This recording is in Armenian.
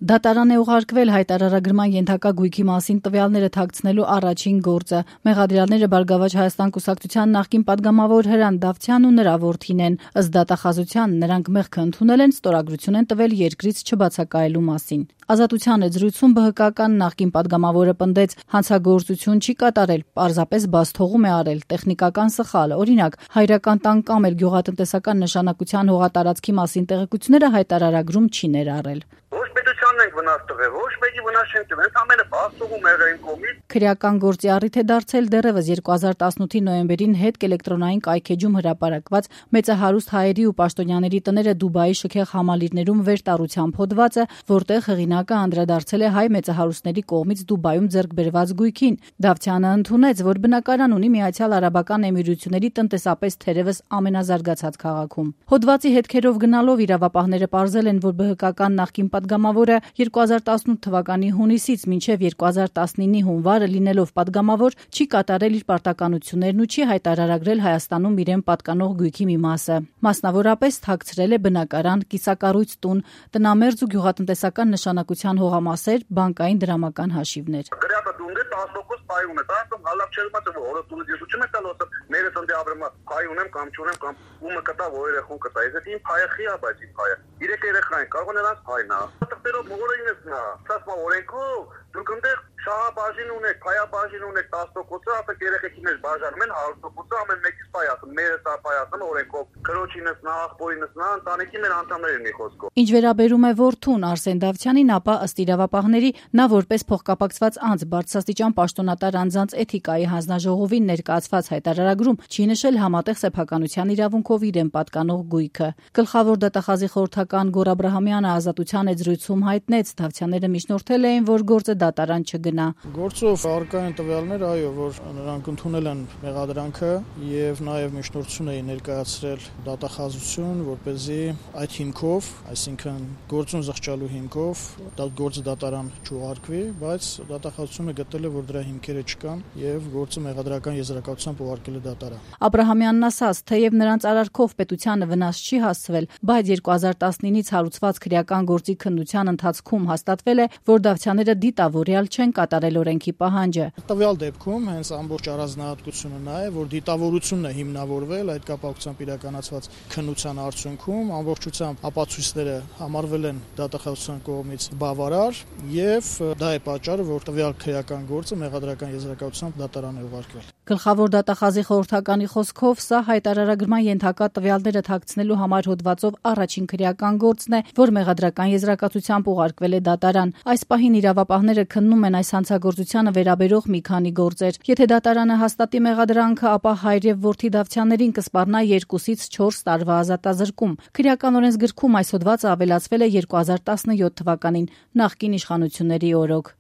Դատարան է ուղարկվել հայտարարագրման ենթակա գույքի մասին տվյալները թաքցնելու առաջին գործը։ Մեղադրյալները Բարգավաճ Հայաստան կուսակցության նախկին պատգամավոր Հրանտ Դավթյանն ու նրա որդին են։ Ըստ դատախազության նրանք մեղքը ընդունել են, ստորագրություն են տվել երկրից չբացակայելու մասին։ Ազատության զրույցում ԲՀԿ-ական նախկին պատգամավորը պնդեց, հանցագործություն չի կատարել, պարզապես բացթողում է արել, տեխնիկական սխալ, օրինակ, հայրական տան կամ էլ գյուղատնտեսական նշանակության հողատարածքի մասին տեղեկությունները հայտարարագրում չի ներառել։ Ոչ պետությանն ենք վնաս տվել, ոչ մեկի վնաս չենք տվել, ամենը բացթողում եղել իմ կողմից։ Քրեական գործի առիթ է դարձել դեռևս 2018-ի նոյեմբերին հետ էլեկտրոնային կայքեջում հրապարակված մեծահարուստ հայերի ու պաշտոնյաների տները Դուբայի շքեղ համալիրներում վերտառությամբ հոդվածը, որտեղ հեղինակը անդրադարձել է հայ մեծահարուստների կողմից Դուբայում ձեռք բերված գույքին։ Դավթյանը ընդունեց, որ բնակարան ունի Միացյալ Արաբական Էմիրությունների տնտեսապես թերևս ամենազարգացած քաղաքում։ Հոդվածի հետքերով գնալով իրավապահները պարզել են, որ ԲՀԿ-ական նախկին պատգամավորը 2018 թվականի հունիսից մինչև 2019-ի հունվարը լինելով պատգամավոր չի կատարել իր պարտականություններն ու չի հայտարարագրել Հայաստանում իրեն պատկանող գույքի մի մասը։ Մասնավորապես թաքցրել է բնակարան, կիսակառույց տուն, տնամերձ ու գյուղատնտեսական նշանակության հողամասեր, բանկային դրամական հաշիվներ։ Գրյատը դունդը 10% պայ ունի, տասում հալակ չել մաց որը տունը դիզուչում է տալոսը, մերը ծնդի ապրեմա պայ ունեմ կամ չունեմ կամ ումը կտա որ երեխուն կտա։ Ես իմ փայը խիա բայց իմ փայը։ Իրեք երեխային կարող նրանց փայնա։ Տղերով մորինս նա, ասма օրենքով դուք այնտեղ շահաբաժին ունեք, փայաբաժին ունեք 10%-ը, ասեք երեխեքի մեջ բաժանում են 100%-ը, ամեն մեկից պայ ասում, մերը սա պայ ասում օրենքով, քրոջինս նա, աղբորինս նա, ընտանիքի մեր անդամներին մի խոսքով։ Ինչ վերաբերում է որդուն Արսեն Դավթյանին, ապա ըստ իրավապահների նա որպես փոխկապակցված անձ բարձրաստիճան պաշտոնատար անձանց էթիկայի հանձնաժողովին ներկայացված հայտարարագրում չի նշել համատեղ սեփականության իրավունքով իրեն պատկանող գույքը։ Գլխավոր դատախազի խորհրդական Գոռ Աբրահամյանը Ազատության զրույցում հայտնեց, Դավթյանները միջնորդել էին, որ գործը դատարան չգնա։ Գործով առկա են տվյալներ, այո, որ նրանք ընդունել են մեղադրանքը եւ նաեւ միջնորդություն էին ներկայացրել դատախազություն, որպեսզի այդ հիմքով, այսինքն գործուն զղջալու հիմքով գործը դատարան չուղարկվի, բայց դատախազությունը գտել է, որ դրա հիմքերը չկան եւ գործը մեղադրական եզրակացությամբ ուղարկել է դատարան։ Աբրահամյանն ասաց, թեև նրանց արարքով պետությանը վնաս չի հասցվել, բայց 2019-ից հարուցված քրեական գործի քննության ընթացքում հաստատվել է, որ Դավթյանները դիտավորյալ չեն կատարել օրենքի պահանջը։ Տվյալ դեպքում հենց ամբողջ առանձնահատկությունը նա է, որ դիտավորությունն է հիմնավորվել այդ կապակցությամբ իրականացված քննության արդյունքում, ամբողջությամբ ապացույցները համարվել են դատախազության կողմից բավարար եւ դա է պատճառը, որ տվյալ քրեական գործը մեղադրական եզրակացությամբ դատարան է ուղարկվել։ Գլխավոր դատախազի խորհրդականի խոսքով սա հայտարարագրման ենթակա տվյալները թաքցնելու համար հոդվածով առաջին քրեական գործն է, որ մեղադրական եզրակացությամբ ուղարկվել է դատարան։ Այս պահին իրավապահները քննում են այս հանցագործությանը վերաբերող մի քանի գործեր։ Եթե դատարանը հաստատի մեղադրանքը, ապա հայր եւ որդի Դավթյաններին կսպառնա 2-ից 4 տարվա ազատազրկում։ Քրեական օրենսգրքում այս հոդվածը ավելացվել է 2017 թվականին, նախկին իշխանությունների օրոք։